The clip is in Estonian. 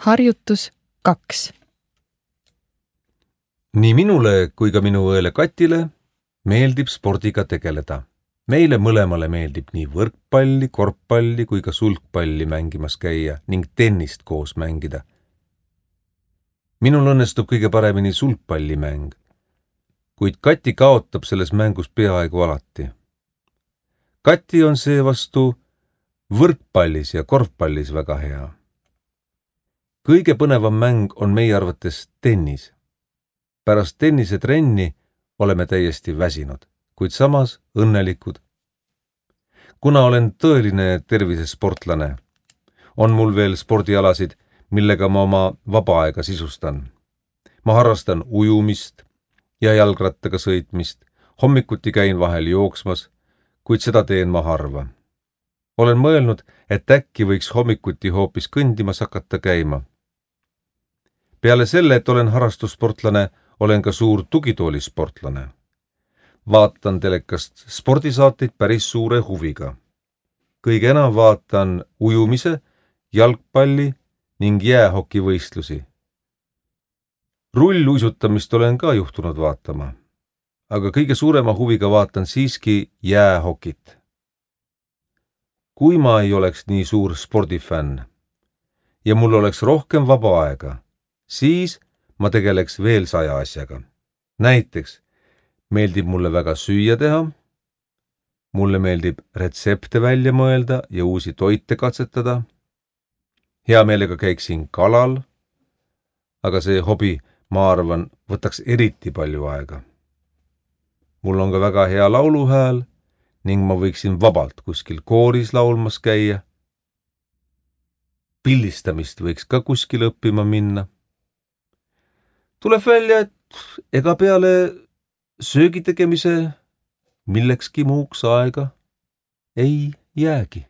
Harjutus 2. Nii minule kui ka minu õele Katile meeldib spordiga tegeleda. Meile mõlemale meeldib nii võrkpalli, korvpalli kui ka sulgpalli mängimas käia ning tennist koos mängida. Minul õnnestub kõige paremini sulgpallimäng, kuid Kati kaotab selles mängus peaaegu alati. Kati on seevastu võrkpallis ja korvpallis väga hea. Kõige põnevam mäng on meie arvates tennis. Pärast tennisetrenni oleme täiesti väsinud, kuid samas õnnelikud. Kuna olen tõeline tervisesportlane, on mul veel spordialasid, millega ma oma vaba aega sisustan. Ma harrastan ujumist ja jalgrattaga sõitmist, hommikuti käin vahel jooksmas, kuid seda teen ma harva. Olen mõelnud, et äkki võiks hommikuti hoopis kõndimas hakata käima. Peale selle, et olen harrastussportlane, olen ka suur tugitoolisportlane. Vaatan telekast spordisaateid päris suure huviga. Kõige enam vaatan ujumise, jalgpalli ning jäähokivõistlusi. Rulluisutamist olen ka juhtunud vaatama, aga kõige suurema huviga vaatan siiski jäähokit. Kui ma ei oleks nii suur spordifänn ja mul oleks rohkem vaba aega, siis ma tegeleks veel 100 asjaga. Näiteks meeldib mulle väga süüa teha, mulle meeldib retsepte välja mõelda ja uusi toite katsetada. Hea meelega käiksin kalal, aga see hobi, ma arvan, võtaks eriti palju aega. Mul on ka väga hea lauluhääl ning ma võiksin vabalt kuskil kooris laulmas käia. Pildistamist võiks ka kuskil õppima minna. Tuleb välja, et ega peale söögitegemise millekski muuks aega ei jäägi.